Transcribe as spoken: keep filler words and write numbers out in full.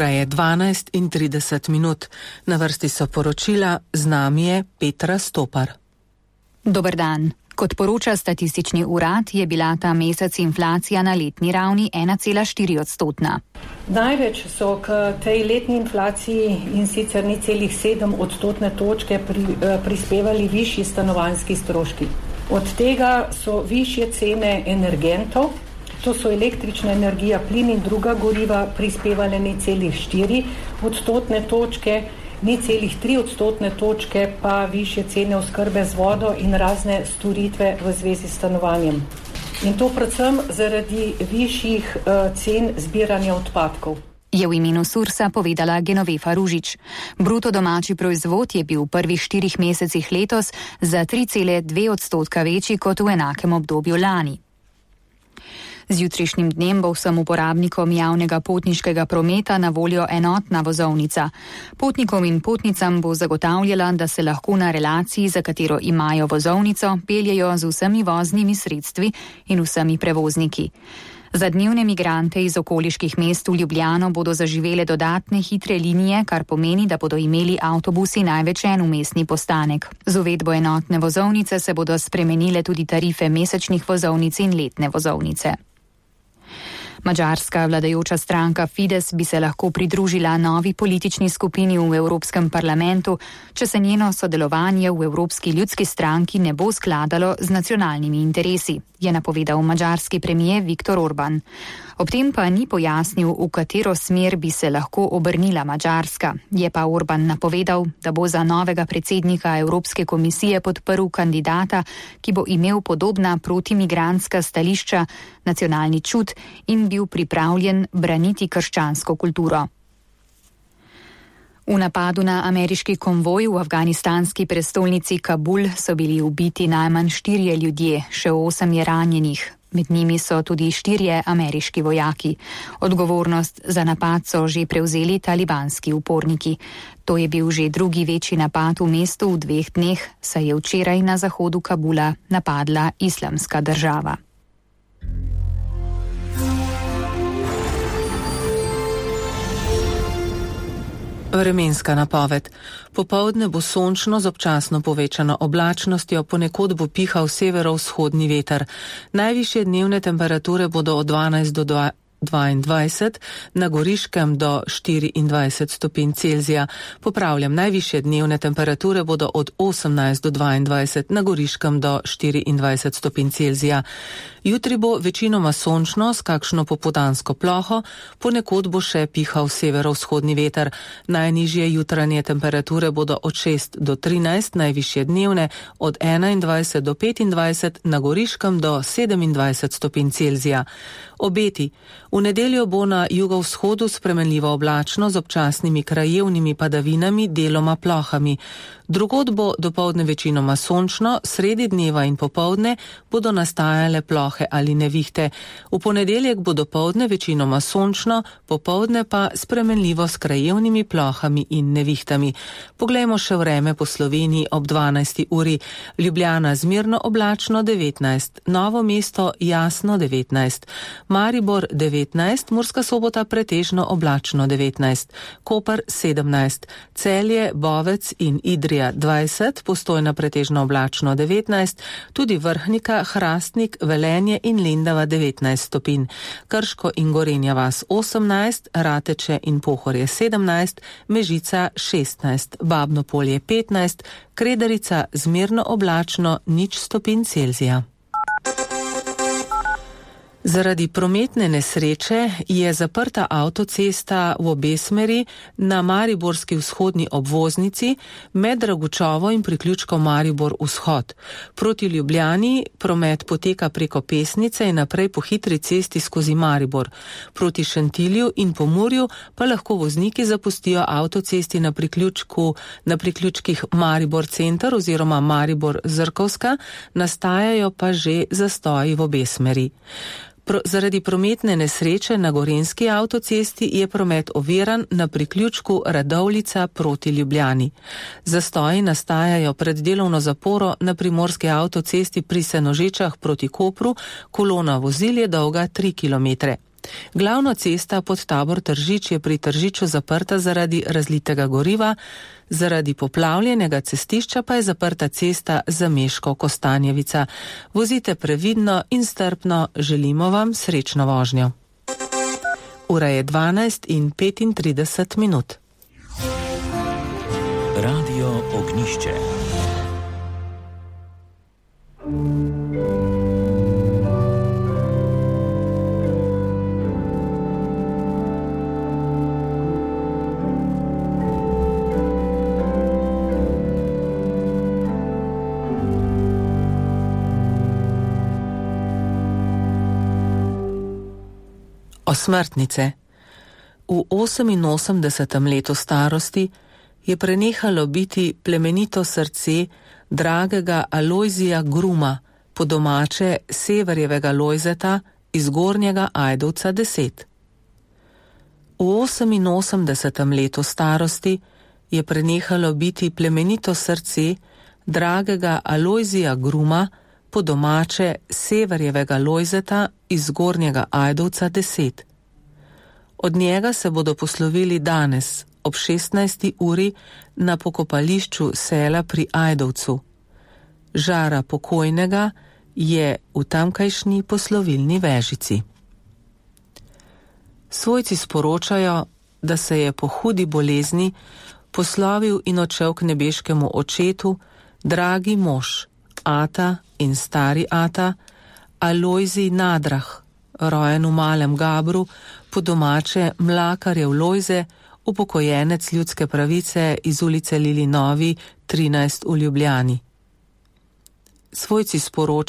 Ura je dvanajst in trideset minut. Na vrsti so poročila, z nami je Petra Stopar. Dober dan. Kot poroča statistični urad, je bila ta mesec inflacija na letni ravni ena cela štiri odstotna. Največ so k tej letni inflaciji in sicer nič celih sedem odstotne točke pri, eh, prispevali višji stanovanjski stroški. Od tega so višje cene energentov, to so električna energija, plin in druga goriva, prispevale nič celih štiri odstotne točke, nič celih tri odstotne točke pa višje cene oskrbe z vodo in razne storitve v zvezi s stanovanjem. In to predvsem zaradi višjih uh, cen zbiranja odpadkov. Je v imenu Sursa povedala Genovefa Ružič. Bruto domači proizvod je bil v prvih štirih mesecih letos za tri cele dve odstotka večji kot v enakem obdobju lani. Z jutrišnjim dnem bo vsem uporabnikom javnega potniškega prometa na voljo enotna vozovnica. Potnikom in potnicam bo zagotavljala, da se lahko na relaciji, za katero imajo vozovnico, peljejo z vsemi voznimi sredstvi in vsemi prevozniki. Za dnevne migrante iz okoliških mest v Ljubljano bodo zaživele dodatne hitre linije, kar pomeni, da bodo imeli avtobusi največ en vmesni postanek. Z uvedbo enotne vozovnice se bodo spremenile tudi tarife mesečnih vozovnic in letne vozovnice. Madžarska vladajoča stranka Fides bi se lahko pridružila novi politični skupini v Evropskem parlamentu, če se njeno sodelovanje v Evropski ljudski stranki ne bo skladalo z nacionalnimi interesi, je napovedal madžarski premijer Viktor Orban. Ob tem pa ni pojasnil, v katero smer bi se lahko obrnila Madžarska. Je pa Orban napovedal, da bo za novega predsednika Evropske komisije podprl kandidata, ki bo imel podobna protimigrantska stališča, nacionalni čut in bil pripravljen braniti krščansko kulturo. V napadu na ameriški konvoj v afganistanski prestolnici Kabul so bili ubiti najmanj štirje ljudje, še osem je ranjenih. Med njimi so tudi štirje ameriški vojaki. Odgovornost za napad so že prevzeli talibanski uporniki. To je bil že drugi večji napad v mestu v dveh dneh, saj je včeraj na zahodu Kabula napadla Islamska država. Vremenska napoved. Popoldne bo sončno z občasno povečano oblačnostjo, ponekod bo pihal severovzhodni veter. Najvišje dnevne temperature bodo od dvanajst do dvaindvajset, na Goriškem do štiriindvajset stopinj Celzija. Popravljam, najvišje dnevne temperature bodo od osemnajst do dvaindvajset, na Goriškem do štiriindvajset stopinj Celzija. Jutri bo večinoma sončno s kakšno popoldansko ploho, ponekod bo še pihal severovzhodni veter. Najnižje jutranje temperature bodo od šest do trinajst, najvišje dnevne od enaindvajset do petindvajset, na Goriškem do sedemindvajset stopinj Celzija. Obeti. V nedeljo bo na jugovzhodu spremenljivo oblačno z občasnimi krajevnimi padavinami, deloma plohami. Drugod bo dopoldne večinoma sončno, sredi dneva in popoldne bodo nastajale plohe ali nevihte. V ponedeljek bo dopoldne večinoma sončno, popoldne pa spremenljivo s krajevnimi plohami in nevihtami. Poglejmo še vreme po Sloveniji ob dvanajsti uri. Ljubljana zmerno oblačno devetnajst, Novo mesto jasno devetnajst, Maribor devetnajst, Murska Sobota pretežno oblačno devetnajst, Koper sedemnajst, Celje, Bovec in Idrija dvajset, Postojna pretežno oblačno devetnajst, tudi Vrhnika, Hrastnik, Velenje in Lendava devetnajst stopinj, Krško in Gorenja vas osemnajst, Rateče in Pohorje sedemnajst, Mežica šestnajst, Babno Polje petnajst, Kredarica zmerno oblačno nič stopinj Celzija. Zaradi prometne nesreče je zaprta avtocesta v obe smeri na mariborski vzhodni obvoznici med Dragučovo in priključkom Maribor vzhod. Proti Ljubljani promet poteka preko Pesnice in naprej po hitri cesti skozi Maribor. Proti Šentilju in Pomurju pa lahko vozniki zapustijo avtocesti na priključku, na priključkih Maribor center oziroma Maribor Zrkovska, nastajajo pa že zastoji v obe smeri. Pro, zaradi prometne nesreče na Gorenjski avtocesti je promet oviran na priključku Radovljica proti Ljubljani. Zastoji nastajajo pred delovno zaporo na Primorski avtocesti pri Senožečah proti Kopru, kolona vozil je dolga tri kilometre. Glavna cesta pod Tabor Tržič je pri Tržiču zaprta zaradi razlitega goriva, zaradi poplavljenega cestišča pa je zaprta cesta Zameškov-Kostanjevica. Vozite previdno in strpno, želimo vam srečno vožnjo. Ura je dvanajst in petintrideset minut. Radio Ognišče. Osmrtnice. V oseminosemdesetem letu starosti je prenehalo biti plemenito srce dragega Alojzija Gruma, po domače Severjevega Lojzeta iz Gornjega Ajdovca deset. V oseminosemdesetem letu starosti je prenehalo biti plemenito srce dragega Alojzija Gruma, po domače Severjevega Lojzeta iz Gornjega Ajdovca deset. Od njega se bodo poslovili danes ob šestnajsti uri na pokopališču sela pri Ajdovcu. Žara pokojnega je v tamkajšnji poslovilni vežici. Svojci sporočajo, da se je po hudi bolezni poslovil in odšel k nebeškemu očetu dragi mož, ata in stari ata, Alojzij Nadrah, rojen v Malem Gabru, po domače Mlakarjev Lojze, upokojenec ljudske pravice iz ulice Lili Novi trinajst v Ljubljani. Svojci sporočajo,